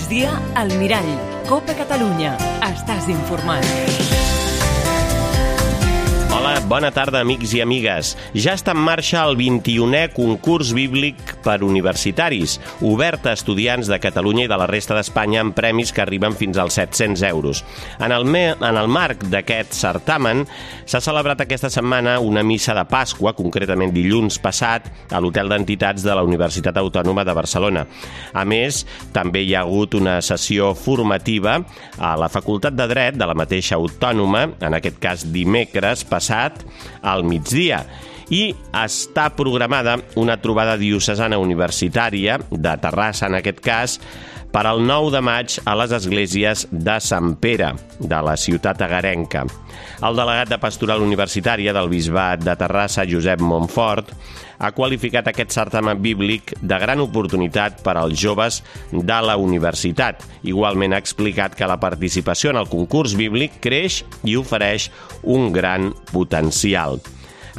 migdia, al Mirall. Copa Catalunya. Estàs informat. Hola, bona tarda, amics i amigues. Ja està en marxa el 21è concurs bíblic per universitaris, obert a estudiants de Catalunya i de la resta d'Espanya amb premis que arriben fins als 700 euros. En el marc d'aquest certamen s'ha celebrat aquesta setmana una missa de Pasqua, concretament dilluns passat, a l'Hotel d'Entitats de la Universitat Autònoma de Barcelona. A més, també hi ha hagut una sessió formativa a la Facultat de Dret de la mateixa Autònoma, en aquest cas dimecres passat, al migdia, i està programada una trobada diocesana universitària de Terrassa, en aquest cas, per al 9 de maig a les esglésies de Sant Pere, de la ciutat agarenca. El delegat de Pastoral Universitària del Bisbat de Terrassa, Josep Montfort, ha qualificat aquest certamen bíblic de gran oportunitat per als joves de la universitat. Igualment ha explicat que la participació en el concurs bíblic creix i ofereix un gran potencial.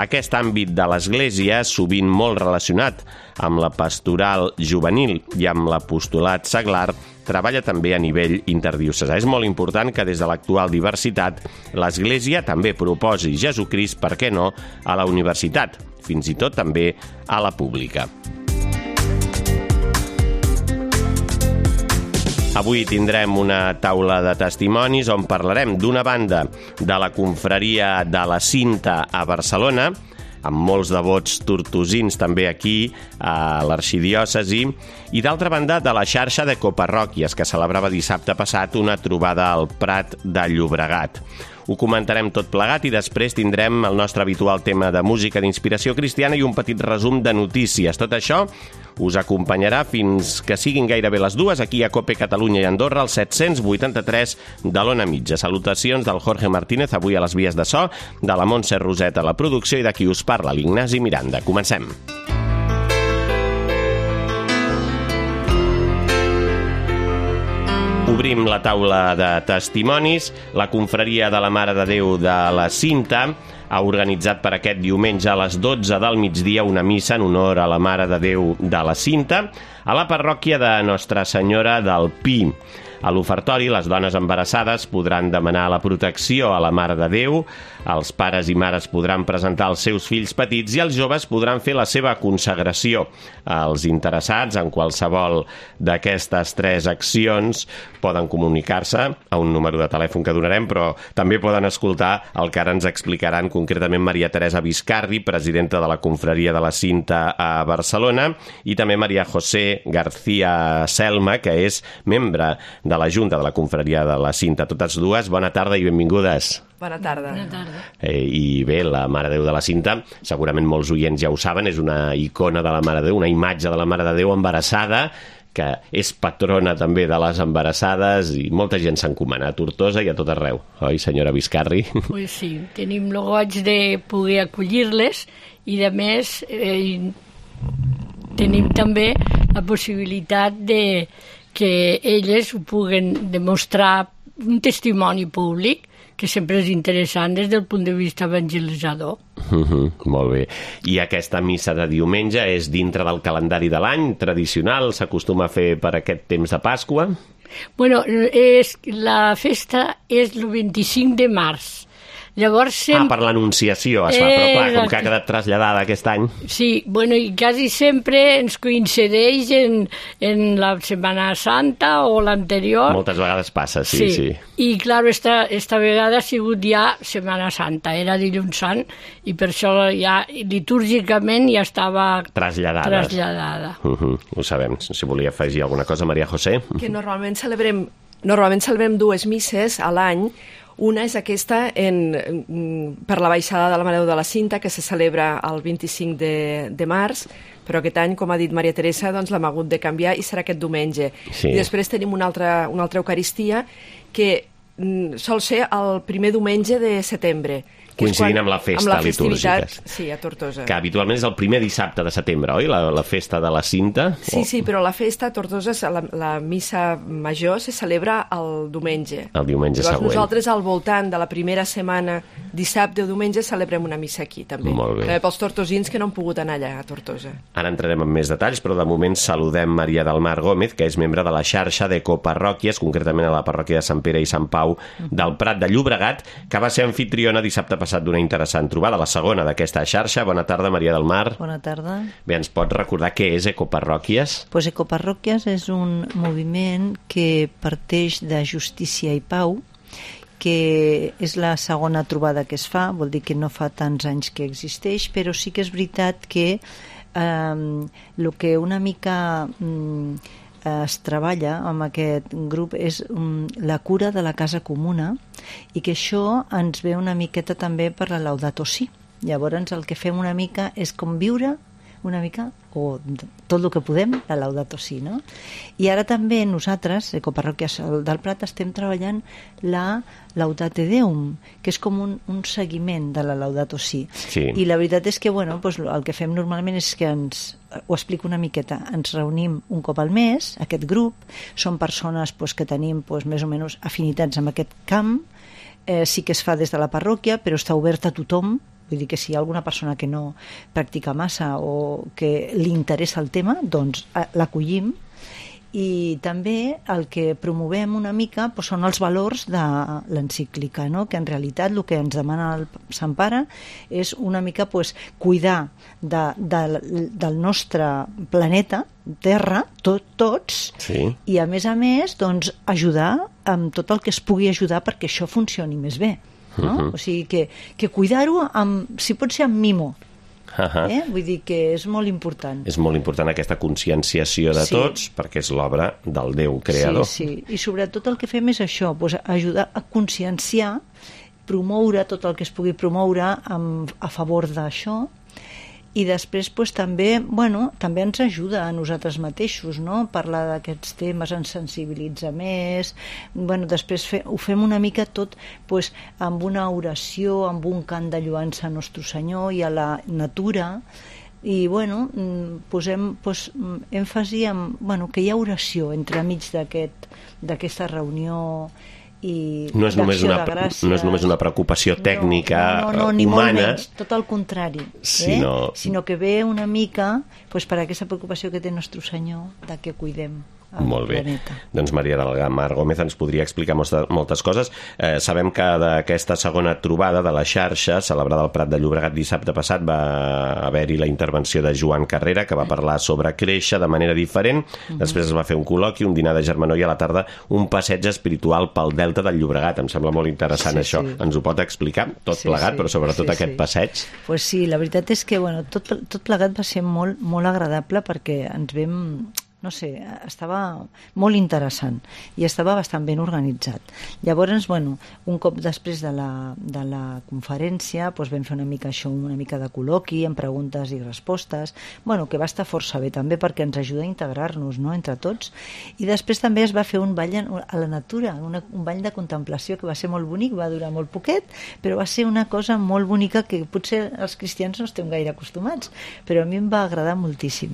Aquest àmbit de l'Església, sovint molt relacionat amb la pastoral juvenil i amb l'apostolat seglar, treballa també a nivell interdiocesà. És molt important que des de l'actual diversitat l'Església també proposi Jesucrist, per què no, a la universitat, fins i tot també a la pública. Avui tindrem una taula de testimonis on parlarem d'una banda de la confraria de la Cinta a Barcelona, amb molts devots tortosins també aquí a l'arxidiòcesi, i d'altra banda de la xarxa de coparròquies que celebrava dissabte passat una trobada al Prat de Llobregat. Ho comentarem tot plegat i després tindrem el nostre habitual tema de música d'inspiració cristiana i un petit resum de notícies. Tot això us acompanyarà fins que siguin gairebé les 2 aquí a Cope Catalunya i Andorra, al 783 de l'Ona Mitja. Salutacions del Jorge Martínez, avui a les vies de so, de la Montse Roset a la producció i de qui us parla, l'Ignasi Miranda. Comencem. Obrim la taula de testimonis. La confraria de la Mare de Déu de la Cinta ha organitzat per aquest diumenge a les 12 del migdia una missa en honor a la Mare de Déu de la Cinta a la parròquia de Nostra Senyora del Pi. A l'ofertori, les dones embarassades podran demanar la protecció a la Mare de Déu, els pares i mares podran presentar els seus fills petits i els joves podran fer la seva consagració. Els interessats en qualsevol d'aquestes 3 accions poden comunicar-se a un número de telèfon que donarem, però també poden escoltar el que ara ens explicaran concretament Maria Teresa Viscardi, presidenta de la confraria de la Cinta a Barcelona, i també Maria José García Selma, que és membre de la Junta de la Confraria de la Cinta. Totes dues, bona tarda i benvingudes. Bona tarda. Bona tarda. I bé, la Mare de Déu de la Cinta, segurament molts oients ja ho saben, és una icona de la Mare de Déu, una imatge de la Mare de Déu embarassada, que és patrona també de les embarassades i molta gent s'encomana a Tortosa i a tot arreu. Oi, senyora Viscardi? Pues sí, tenim el goig de poder acollir-les i, a més, tenim també la possibilitat de que elles ho puguen demostrar un testimoni públic que sempre és interessant des del punt de vista evangelitzador. Molt bé. I aquesta missa de diumenge és dintre del calendari de l'any tradicional? S'acostuma a fer per aquest temps de Pasqua? Bueno, la festa és el 25 de març. Llavors per l'Anunciació es fa, però clar, com que ha quedat traslladada aquest any. Sí, bueno, i quasi sempre ens coincideix en la Setmana Santa o l'anterior. Moltes vegades passa, sí. I, clar, esta vegada ha sigut ja Setmana Santa, era dilluns sant, i per això ja litúrgicament ja estava traslladada. Ho sabem. Si volia afegir alguna cosa, Maria José. Que normalment celebrem 2 misses a l'any. Una és aquesta per la baixada de la Mare de Déu de la Cinta, que se celebra el 25 de març, però aquest any, com ha dit Maria Teresa, doncs l'hem hagut de canviar i serà aquest diumenge. Sí. I després tenim una altra Eucaristia que sol ser el primer diumenge de setembre. Coincidint amb la festa litúrgica. Sí, a Tortosa. Que habitualment és el primer dissabte de setembre, oi? La festa de la Cinta? Sí, però la festa a Tortosa, la missa major, se celebra el diumenge. El diumenge següent. Nosaltres, al voltant de la primera setmana dissabte o diumenge celebrem una missa aquí, també. Molt bé. Pels tortosins que no han pogut anar allà a Tortosa. Ara entrarem en més detalls, però de moment saludem Maria del Mar Gómez, que és membre de la xarxa d'ecoparròquies, concretament a la parròquia de Sant Pere i Sant Pau del Prat de Llobregat, que va ser anfitriona dissabte passat d'una interessant trobada, la segona d'aquesta xarxa. Bona tarda, Maria del Mar. Bona tarda. Bé, ens pots recordar què és ecoparròquies? Pues ecoparròquies és un moviment que parteix de justícia i pau, que és la segona trobada que es fa, vol dir que no fa tants anys que existeix, però sí que és veritat que el que una mica es treballa amb aquest grup és la cura de la casa comuna, i que això ens ve una miqueta també per la Laudato Si. Llavors el que fem una mica és com viure una mica, o tot el que podem, la Laudato Si, no? I ara també nosaltres, Ecoparròquies del Prat, estem treballant la Laudate Deum, que és com un seguiment de la Laudato Si. Sí. I la veritat és que, bueno, doncs el que fem normalment és que ho explico una miqueta, ens reunim un cop al mes, aquest grup, són persones que tenim més o menys afinitats amb aquest camp, sí que es fa des de la parròquia, però està obert a tothom. Vull dir que si hi ha alguna persona que no practica massa o que li interessa el tema, doncs l'acollim. I també el que promovem una mica són els valors de l'encíclica, no? Que en realitat el que ens demana el Sant Pare és una mica cuidar del nostre planeta, Terra, tots, sí. I a més doncs, ajudar amb tot el que es pugui ajudar perquè això funcioni més bé. No? O sigui que cuidar-ho si pot ser amb mimo. Vull dir que és molt important. És molt important aquesta conscienciació de tots, perquè és l'obra del Déu creador. Sí. I sobretot el que fem és això, ajudar a conscienciar, promoure tot el que es pugui promoure a favor d'això. I després també ens ajuda a nosaltres mateixos, no? Parlar d'aquests temes, ens sensibilitza més. Després ho fem una mica tot amb una oració, amb un cant de lloança a Nostre Senyor i a la natura. I posem èmfasi en que hi ha oració entremig d'aquesta reunió. No és només una preocupació tècnica ni humana, molt menys, tot el contrari, sinó que ve una mica per aquesta preocupació que té Nostre Senyor de que cuidem el planeta. Doncs Maria del Mar Gómez ens podria explicar moltes coses. Sabem que d'aquesta segona trobada de la xarxa celebrada al Prat de Llobregat dissabte passat va haver-hi la intervenció de Joan Carrera, que va parlar sobre créixer de manera diferent. Després es va fer un col·loqui, un dinar de germanor i a la tarda un passeig espiritual pel Delta del Llobregat. Em sembla molt interessant això. Ens ho pot explicar tot plegat, però sobretot aquest passeig? Pues sí, la veritat és que tot plegat va ser molt, molt agradable perquè ens vam... No sé, estava molt interessant i estava bastant ben organitzat. Llavors, un cop després de la conferència vam fer una mica de col·loqui amb preguntes i respostes, que va estar força bé també perquè ens ajuda a integrar-nos, no?, entre tots. I després també es va fer un ball a la natura, un ball de contemplació que va ser molt bonic, va durar molt poquet, però va ser una cosa molt bonica que potser els cristians no estem gaire acostumats, però a mi em va agradar moltíssim.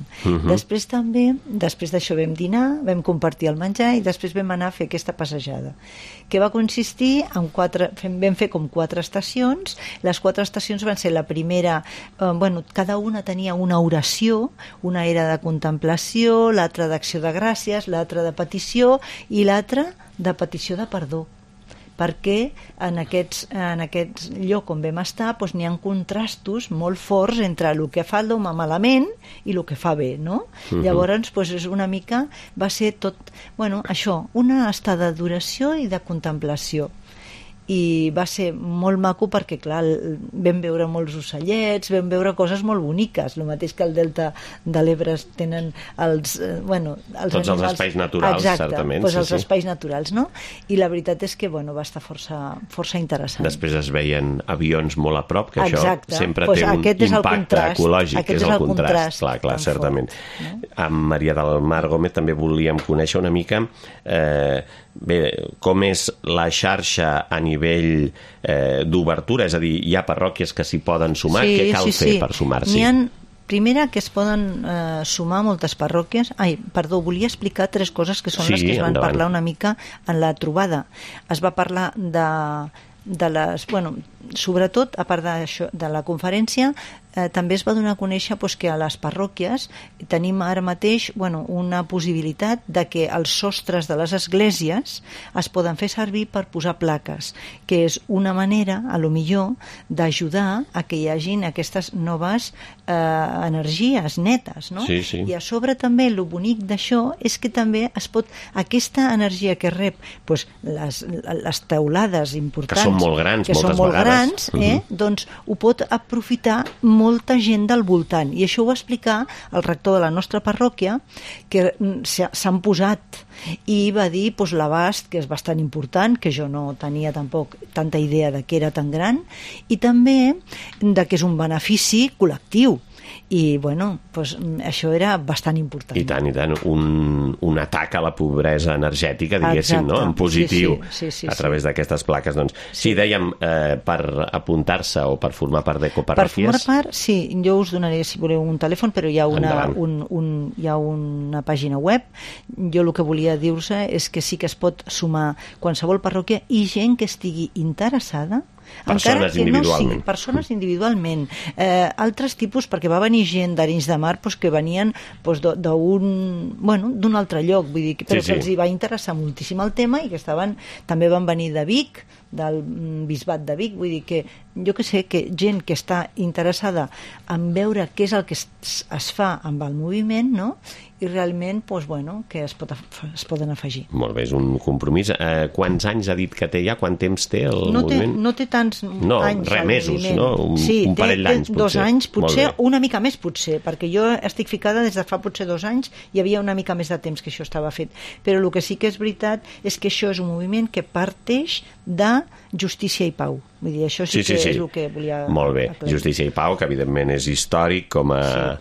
Després d'això vam dinar, vam compartir el menjar i després vam anar a fer aquesta passejada, que va consistir en vam fer com 4 estacions. Les 4 estacions van ser la primera, cada una tenia una oració, una era de contemplació, l'altra d'acció de gràcies, l'altra de petició i l'altra de petició de perdó, perquè en aquest lloc on vam estar n'hi ha contrastos molt forts entre el que fa l'home malament i el que fa bé, no? Llavors és una mica, va ser tot això, una estada d'oració i de contemplació. I va ser molt maco perquè, clar, vam veure molts ocellets, vam veure coses molt boniques, el mateix que al Delta de l'Ebre tenen tots els espais naturals, certament. Els espais naturals, no? I la veritat és que va estar força interessant. Després es veien avions molt a prop, que això sempre té un impacte ecològic, que és el contrast. Clar, certament. Amb Maria del Mar Gómez també volíem conèixer una mica com és la xarxa a nivell d'obertura, és a dir, hi ha parròquies que s'hi poden sumar, què cal fer per sumar-s'hi? Primera, que es poden sumar moltes parròquies. Volia explicar 3 coses que són les que es van parlar una mica en la trobada. Es va parlar sobretot, a part d'això, de la conferència, també es va donar a conèixer que a les parròquies tenim ara mateix una possibilitat de que els sostres de les esglésies es poden fer servir per posar plaques, que és una manera, a lo millor, d'ajudar a que hi hagin aquestes noves energies netes, no? Sí, sí. I a sobre també el bonic d'això és que també es pot, aquesta energia que rep les teulades importants, que són molt grans, que són molt grans, doncs ho pot aprofitar molta gent del voltant, i això ho va explicar el rector de la nostra parròquia, que s'han posat i va dir l'abast, que és bastant important, que jo no tenia tampoc tanta idea de que era tan gran, i també de que és un benefici col·lectiu. I, això era bastant important. I tant, un atac a la pobresa energètica, diguéssim, no? En positiu, a través d'aquestes plaques. Doncs, sí, dèiem, per apuntar-se o per formar part d'ecoparròquies... Per formar part, sí, jo us donaré, si voleu, un telèfon, però hi ha una pàgina web. Jo el que volia dir-vos és que sí que es pot sumar qualsevol parròquia i gent que estigui interessada, persones individualment. Persones individualment. Altres tipus, perquè va venir gent d'Arenys de Mar que venien d'un altre lloc, vull dir, però que els hi va interessar moltíssim el tema i que també van venir de Vic, del bisbat de Vic, vull dir que jo que sé, que gent que està interessada en veure què és el que es fa amb el moviment, no? I realment, que es poden afegir. Molt bé, és un compromís. Quants anys ha dit que té ja? Quant temps té el moviment? No té tants anys. Mesos, no? Un parell d'anys, potser. 2 anys, potser, una mica més, potser, perquè jo estic ficada des de fa potser 2 anys, hi havia una mica més de temps que això estava fet. Però el que sí que és veritat és que això és un moviment que parteix de justícia i pau. Vull dir, això sí que és el que volia... Molt bé, Justícia i Pau, que evidentment és històric com a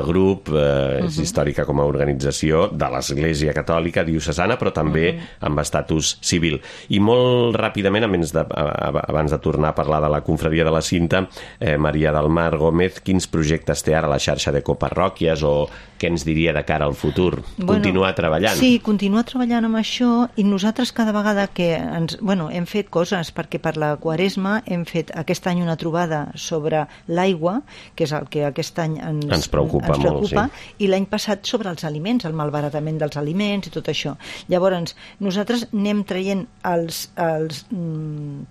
grup, és històrica com a organització de l'Església Catòlica diocesana, però també amb estatus civil. I molt ràpidament, abans de tornar a parlar de la confraria de la Cinta, Maria del Mar Gómez, quins projectes té ara la xarxa d'ecoparròquies o què ens diria de cara al futur? Continuar treballant? Sí, continuar treballant amb això, i nosaltres cada vegada que hem fet coses, perquè per la Quaresma hem fet aquest any una trobada sobre l'aigua, que és el que aquest any ens preocupa molt, sí. I l'any passat sobre els aliments, el malbaratament dels aliments i tot això. Llavors, nosaltres anem traient els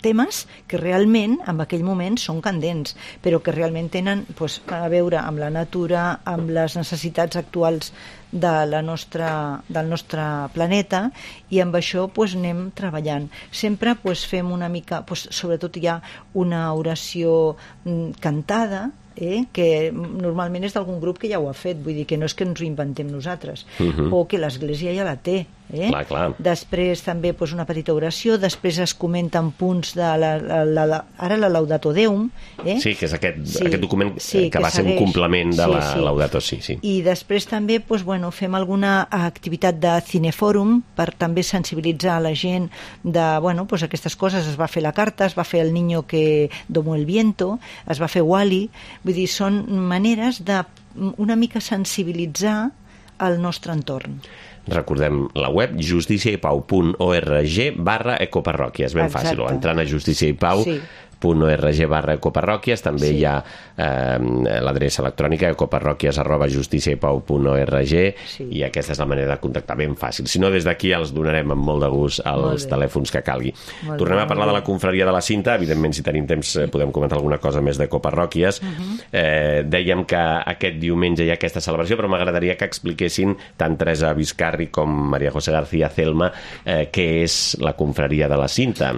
temes que realment en aquell moment són candents, però que realment tenen a veure amb la natura, amb les necessitats actuals del nostre planeta, i amb això anem treballant. Sempre fem una mica, sobretot hi ha una oració cantada, que normalment és d'algun grup que ja ho ha fet, vull dir que no és que ens ho inventem nosaltres, o que l'Església ja la té. Clar. Després també una petita oració, després es comenten punts de ara la Laudato Deum. Sí, que és aquest document que va ser un complement de la Laudato Si. I després també fem alguna activitat de cinefòrum per també sensibilitzar la gent de aquestes coses. Es va fer la carta, es va fer el niño que domó el viento, es va fer Wall-E. Vull dir, són maneres de una mica sensibilitzar el nostre entorn. Recordem la web justiciaipau.org/ecoparròquies, ben fàcil, o entrant a justiciaipau.org/ecoparròquies, també hi ha l'adreça electrònica ecoparròquies@justiciaipau.org, i aquesta és la manera de contactar, ben fàcil. Si no, des d'aquí els donarem amb molt de gust els telèfons que calgui. Tornem a parlar de la confraria de la Cinta. Evidentment, si tenim temps podem comentar alguna cosa més d'ecoparròquies. Dèiem que aquest diumenge hi ha aquesta celebració, però m'agradaria que expliquessin tant Teresa Vizcarri com Maria José García Celma què és la confraria de la Cinta.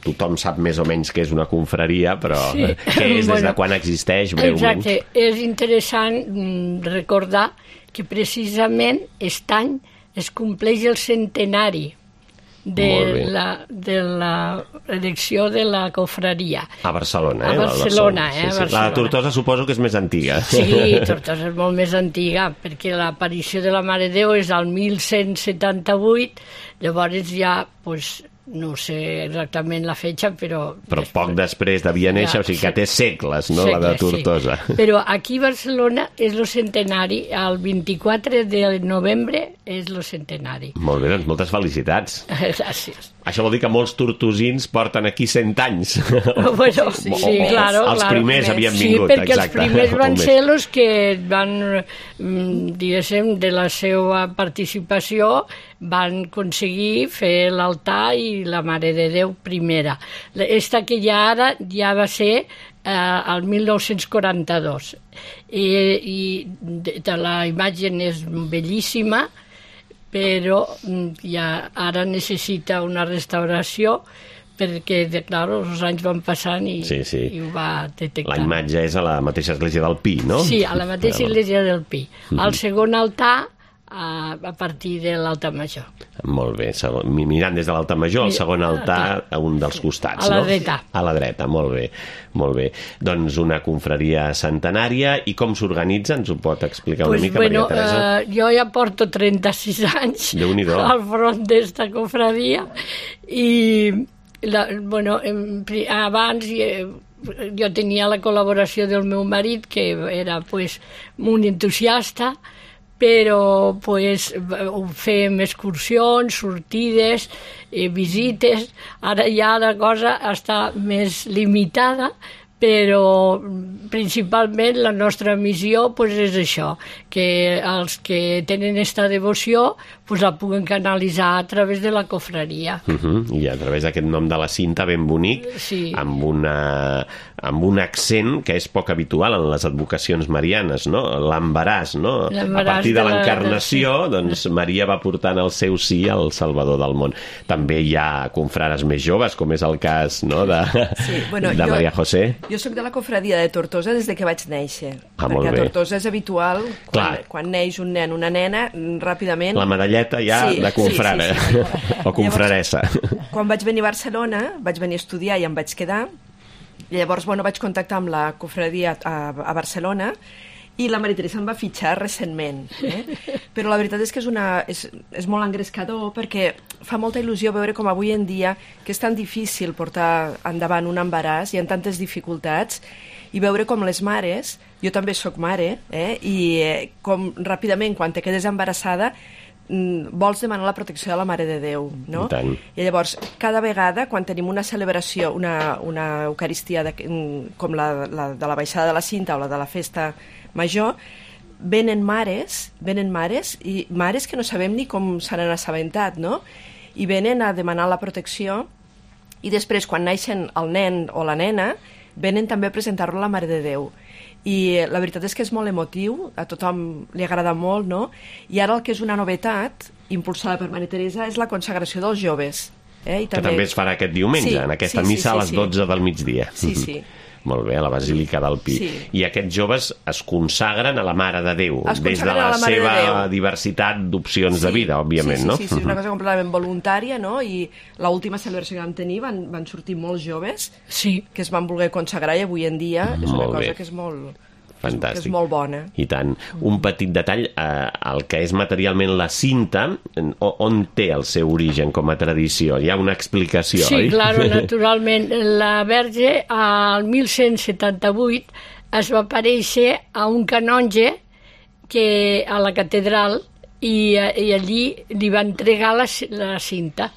Tothom sap més o menys què és una confraria, però què és, des de quan existeix, breument? Exacte, és interessant recordar que precisament aquest any es compleix el centenari de la elecció de la confraria. A Barcelona, A Barcelona. La de Tortosa suposo que és més antiga. Sí, Tortosa és molt més antiga, perquè l'aparició de la Mare de Déu és al 1178, llavors ja, no sé exactament la fetge, però poc després devia néixer, o sigui que té segles, no?, la de Tortosa. Però aquí a Barcelona és el centenari, el 24 de novembre és el centenari. Molt bé, doncs moltes felicitats. Gràcies. Això vol dir que molts tortosins porten aquí 100 anys. Bueno, sí, claro. Els primers havien sí, vingut, perquè exacte. Els primers van ser els que van, diguéssim, de la seva participació, van aconseguir fer l'altar i la Mare de Déu primera. Esta que hi ha ara ja va ser el 1942. I la imatge és bellíssima, però ja ara necessita una restauració perquè, clar, els anys van passant i ho va detectar. La imatge és a la mateixa església del Pi, no? Sí, a la mateixa església del Pi. El segon altar a partir de l'altar major. Molt bé, mirant des de l'altar major, el segon altar a un dels costats, no? A la dreta. A la dreta, molt bé, molt bé. Doncs una confraria centenària, i com s'organitza? Ens ho pot explicar una mica, Maria Teresa? Jo ja porto 36 anys al front d'esta confraria i, abans jo tenia la col·laboració del meu marit, que era un entusiasta, però fem excursions, sortides, visites. Ara ja la cosa està més limitada, però principalment la nostra missió és això, que els que tenen aquesta devoció la puguen canalitzar a través de la confraria. I a través d'aquest nom de la cinta ben bonic, amb un accent que és poc habitual en les advocacions marianes, no? L'embaràs, no? A partir de l'encarnació, doncs Maria va portant el seu sí al Salvador del món. També hi ha confrares més joves, com és el cas de Maria José. Jo soc de la confraria de Tortosa des que vaig néixer, perquè a Tortosa és habitual, quan neix un nen o una nena, ràpidament... La medalleta ja de confrare, o confraressa. Quan vaig venir a Barcelona, vaig venir a estudiar i em vaig quedar, i llavors vaig contactar amb la confraria a Barcelona, i la Maria Teresa em va fitxar recentment. Però la veritat és que és molt engrescador, perquè fa molta il·lusió veure com avui en dia, que és tan difícil portar endavant un embaràs, hi ha tantes dificultats, i veure com les mares, jo també sóc mare, i com ràpidament, quan te quedes embarassada, vols demanar la protecció de la Mare de Déu, no? I llavors, cada vegada, quan tenim una celebració, una eucaristia com la de la baixada de la cinta o la de la festa major, venen mares, i mares que no sabem ni com se n'han assabentat, no? I venen a demanar la protecció, i després, quan naixen el nen o la nena, venen també a presentar-lo a la Mare de Déu. I la veritat és que és molt emotiu, a tothom li agrada molt, no? I ara el que és una novetat, impulsada per Maria Teresa, és la consagració dels joves. Que també es farà aquest diumenge, en aquesta missa a les 12 del migdia. Sí. Molt bé, a la Basílica del Pi. I aquests joves es consagren a la Mare de Déu, des de la seva diversitat d'opcions de vida, òbviament, no? Sí, és una cosa completament voluntària, no? I l'última celebració que vam tenir van sortir molts joves que es van voler consagrar, i avui en dia és una cosa que és molt... Fantàstic. Que és molt bona. I tant. Un petit detall, el que és materialment la cinta, on té el seu origen com a tradició? Hi ha una explicació, oi? Sí, clar, naturalment. La Verge, al 1178, es va aparèixer a un canonge a la catedral, i allí li va entregar la cinta.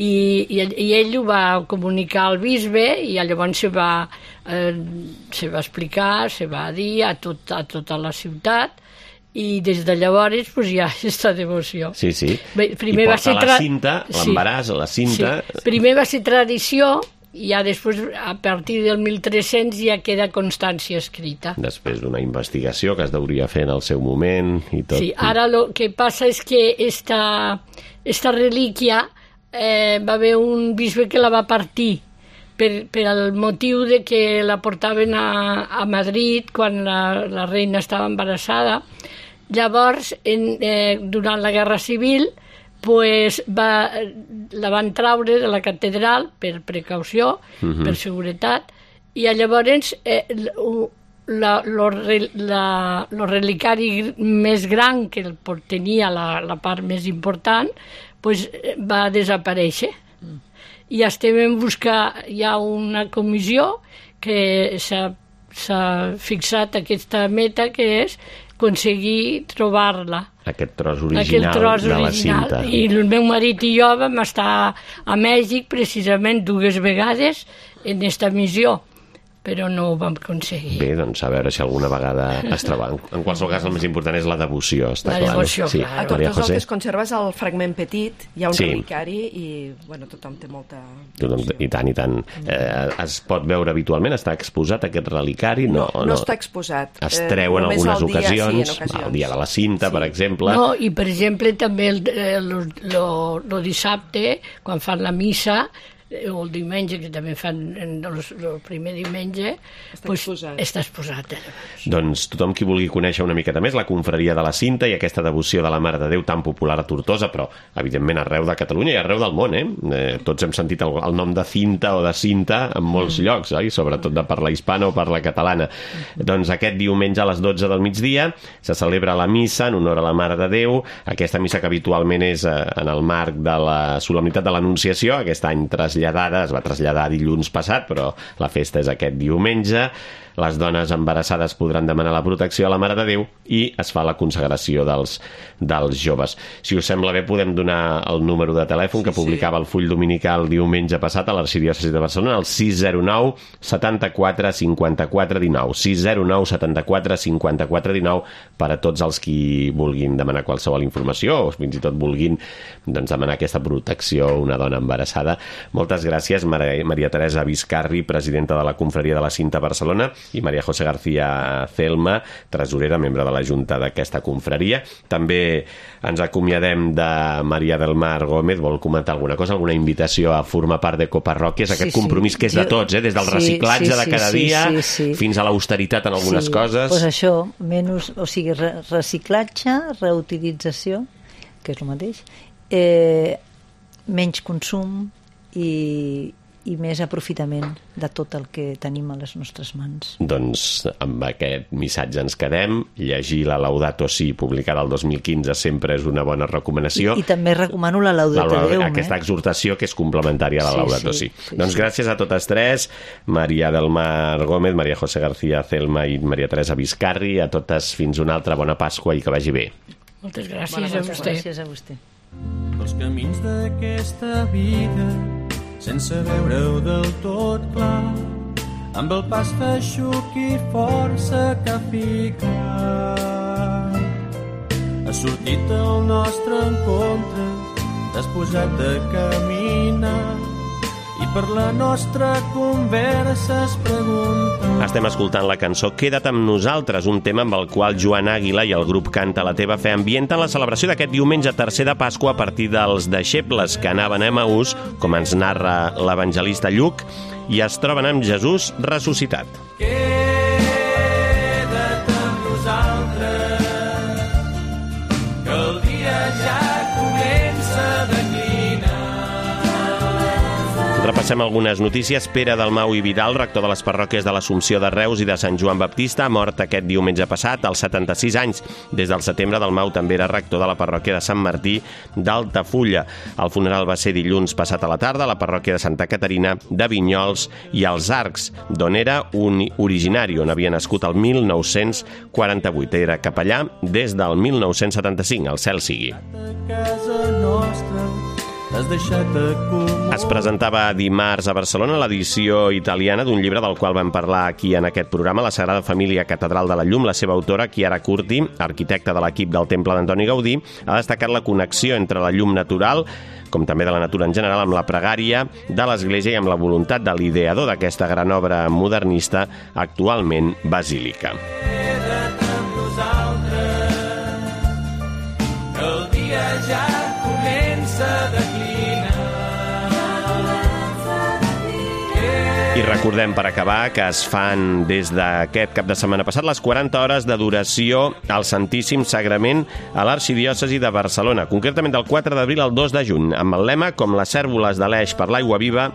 I ell ho va comunicar al bisbe, i llavors se va explicar, se va dir a tota la ciutat, i des de llavors hi ha aquesta devoció. Sí. Primer I porta la cinta, l'embaràs, la cinta... Primer va ser tradició, i ja després, a partir del 1300, ja queda constància escrita. Després d'una investigació que es deuria fer en el seu moment i tot. Sí, ara el que passa és que esta relíquia va haver un bisbe que la va partir per al motiu de que la portaven a Madrid quan la reina estava embarassada. Llavors, durant la Guerra Civil, la van traure de la catedral per precaució, per seguretat, i llavors el relicari més gran, que tenia la part més important, va desaparèixer. I estem en buscar, hi ha una comissió que s'ha fixat aquesta meta, que és aconseguir trobar-la. aquest tros original de la cinta. I el meu marit i jo vam estar a Mèxic precisament 2 vegades en aquesta missió, però no ho vam aconseguir. Bé, doncs a veure si alguna vegada es troba. En qualsevol cas, el més important és la devoció, està clar. La devoció, sí. clar. A tots els que es conserves el fragment petit, hi ha un sí. relicari i bueno, tothom té molta... I tant, i tant. Es pot veure habitualment? Està exposat aquest relicari? No està exposat. Es treu en algunes ocasions, el dia de la cinta, per exemple. No, i per exemple també el dissabte, quan fan la missa, o el diumenge, que també fan el primer diumenge, està exposat. Doncs tothom qui vulgui conèixer una miqueta més la confraria de la cinta i aquesta devoció de la Mare de Déu tan popular a Tortosa, però evidentment arreu de Catalunya i arreu del món, tots hem sentit el nom de cinta o de cinta en molts llocs, sobretot de parla hispana o parla catalana. Doncs aquest diumenge a les 12 del migdia se celebra la missa en honor a la Mare de Déu, aquesta missa que habitualment és en el marc de la solemnitat de l'Anunciació, aquest any es va traslladar dilluns passat, però la festa és aquest diumenge. Les dones embarassades podran demanar la protecció a la Mare de Déu i es fa la consagració dels joves. Si us sembla bé, podem donar el número de telèfon que publicava el full dominical diumenge passat a l'Arxidiòcesi de Barcelona, el 609 74 54 19. 609 74 54 19 per a tots els qui vulguin demanar qualsevol informació o fins i tot vulguin demanar aquesta protecció a una dona embarassada. Moltes gràcies, Maria Teresa Biscarri, presidenta de la Confraria de la Cinta a Barcelona, i Maria José García Celma, tresorera, membre de la Junta d'aquesta confraria. També ens acomiadem de Maria del Mar Gómez. Vol comentar alguna cosa, alguna invitació a formar part de Coparròquies, aquest compromís que és de tots, des del reciclatge de cada dia fins a l'austeritat en algunes coses. Doncs això, menys, o sigui, reciclatge, reutilització, que és el mateix, menys consum i més aprofitament de tot el que tenim a les nostres mans. Doncs amb aquest missatge ens quedem. Llegir la Laudato Si, publicada el 2015, sempre és una bona recomanació. I també recomano la Laudato Deum. Aquesta exhortació que és complementària a la Laudato Si. Doncs gràcies a totes tres, Maria del Mar Gómez, Maria José García Celma i Maria Teresa Biscarri. A totes fins una altra bona Pasqua i que vagi bé. Moltes gràcies a vostè. Gràcies a vostè. Els camins d'aquesta vida sense veure-ho del tot clar, amb el pas feixuc i força que ha ficat. Ha sortit al nostre encontre, t'has posat a caminar i per la nostra conversa es pregunta... Estem escoltant la cançó Queda't amb nosaltres, un tema amb el qual Joan Àguila i el grup Canta la teva fe ambienten la celebració d'aquest diumenge tercer de Pasqua a partir dels deixebles que anaven a Emaús, com ens narra l'evangelista Lluc, i es troben amb Jesús ressuscitat. Queda't amb nosaltres, que el dia ja comença a declinar. Repassem algunes notícies. Pere Dalmau i Vidal, rector de les parròquies de l'Assumpció de Reus i de Sant Joan Baptista, ha mort aquest diumenge passat, als 76 anys. Des del setembre, Dalmau també era rector de la parròquia de Sant Martí d'Altafulla. El funeral va ser dilluns passat a la tarda a la parròquia de Santa Caterina de Vinyols i els Arcs, d'on era un originari, on havia nascut el 1948. Era capellà des del 1975, el cel sigui. Es presentava dimarts a Barcelona l'edició italiana d'un llibre del qual vam parlar aquí en aquest programa, La Sagrada Família Catedral de la Llum. La seva autora, Chiara Curti, arquitecta de l'equip del Temple d'Antoni Gaudí, ha destacat la connexió entre la llum natural, com també de la natura en general, amb la pregària de l'Església i amb la voluntat de l'ideador d'aquesta gran obra modernista, actualment basílica. Queda't amb nosaltres, que el dia ja comença a declinar. I recordem, per acabar, que es fan des d'aquest cap de setmana passat les 40 hores d'adoració al Santíssim Sagrament a l'Arxidiòcesi de Barcelona, concretament del 4 d'abril al 2 de juny, amb el lema "Com les cérvoles d'Aleix per l'aigua viva,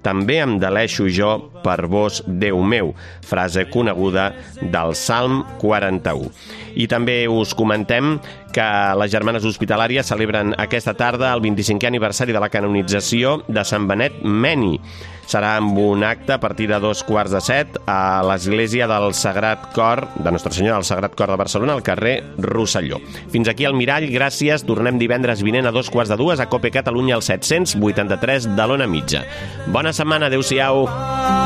també em deleixo jo per vos, Déu meu", frase coneguda del Salm 41. I també us comentem que les Germanes Hospitalàries celebren aquesta tarda el 25è aniversari de la canonització de Sant Benet Meni. Serà amb un acte a partir de 2:15 a l'església del Sagrat Cor, de Nostra Senyora del Sagrat Cor de Barcelona, al carrer Rosselló. Fins aquí el Mirall, gràcies. Tornem divendres vinent a 2:15 a COPE Catalunya al 783 de l'Ona Mitja. Bona setmana, adeu-siau.